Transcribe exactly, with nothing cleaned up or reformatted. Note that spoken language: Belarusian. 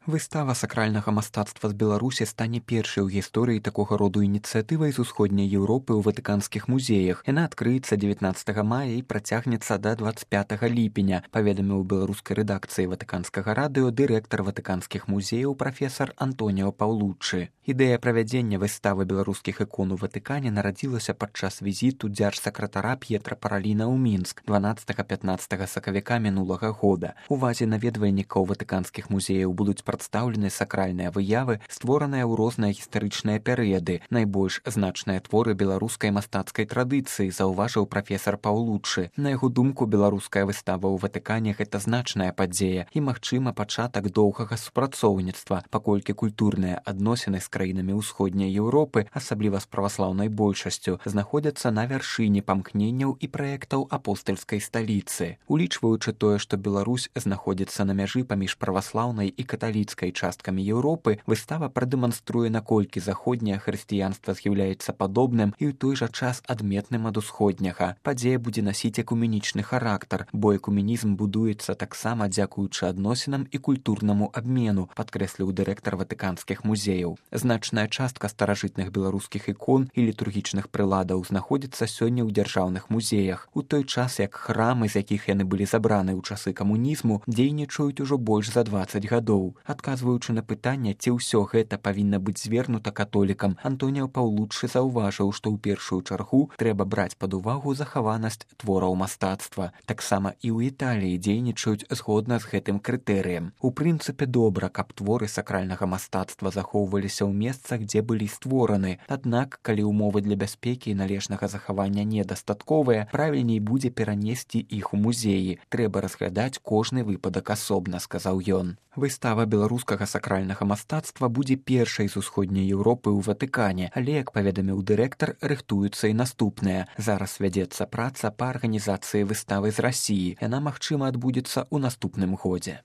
Выстава сакральнага мастацтва з Беларусі стане першай у гісторыі такога роду ініцыятывай з усходняй Еўропы ў ватыканскіх музеях. Яна адкрыецца дзевятнаццатага мая і працягнецца да дваццаць пятага ліпеня, паведаміў беларускай рэдакцыі ватыканскага радыё дырэктар ватыканскіх музеяў прафесар Антоніо Паўлуччы. Ідэя правядзення выставы беларускіх ікон у Ватыкане нарадзілася падчас візіту дзяржсакратара П'етра Параліна ў Мінск дванаццатага-пятнаццатага сакавіка мінулага года. Увазе наведвальнікаў ватыканскіх музеяў будуць прадстаўлены сакральныя выявы, створаныя ў розныя гістарычныя перыяды, найбольш значныя творы беларускай мастацкай традыцыі, заўважыў прафесар Паўлуччы. На яго думку, беларуская выстава ў Ватыкане гэта значная падзея і, магчыма, пачатак доўгага супрацоўніцтва, паколькі культурныя адносіны з краінамі ўсходняй Еўропы, асабліва з праваслаўнай большасцю, знаходзяцца на вяршыні памкненняў і праектаў апостальскай сталіцы. Улічваючы тое, што Беларусь знаходзіцца на мяжы паміж праваслаўнай і каталіцкай часткамі Еўропы, выстава прадэманструе, наколькі заходняе хрысціянства з'яўляецца падобным і ў той жа час адметным ад усходняга. Падзея будзе насіць экуменічны характар, бо экуменізм будуецца таксама дзякуючы адносінам і культурнаму абмену, падкрэсліў дырэктар ватыканскіх музеяў. Значная частка старажытных беларускіх ікон і літургічных прыладаў знаходзіцца сёння ў дзяржаўных музеях, у той час як храмы, з якіх яны былі забраны ў часы камунізму, дзейнічаюць ужо больш за дваццаць гадоў. Адказваючы на пытанне, ці ўсё гэта павінна быць звернута католікам, Антоніо Паўлуччы заўважыў, што ў першую чаргу трэба браць пад увагу захаванасць твораў мастацтва. Таксама і ў Італіі дзейнічаюць згодна з гэтым крытэрыем. У прынцыпе, добра, каб творы сакральнага мастацтва захоўваліся ў месцах, дзе былі створаны. Аднак, калі ўмовы для бяспекі і належнага захавання недастатковыя, правільней будзе перанесці іх у музеі. Трэба разглядаць кожны выпадак асобна, сказаў ён. Выстава беларускага сакральнага мастацтва будзе першай з усходняй Еўропы ў Ватыкане, але, як паведаміў дырэктар, рыхтуюцца і наступныя. Зараз вядзецца праца па арганізацыі выставы з Расіі. Яна, магчыма, адбудзецца ў наступным годзе.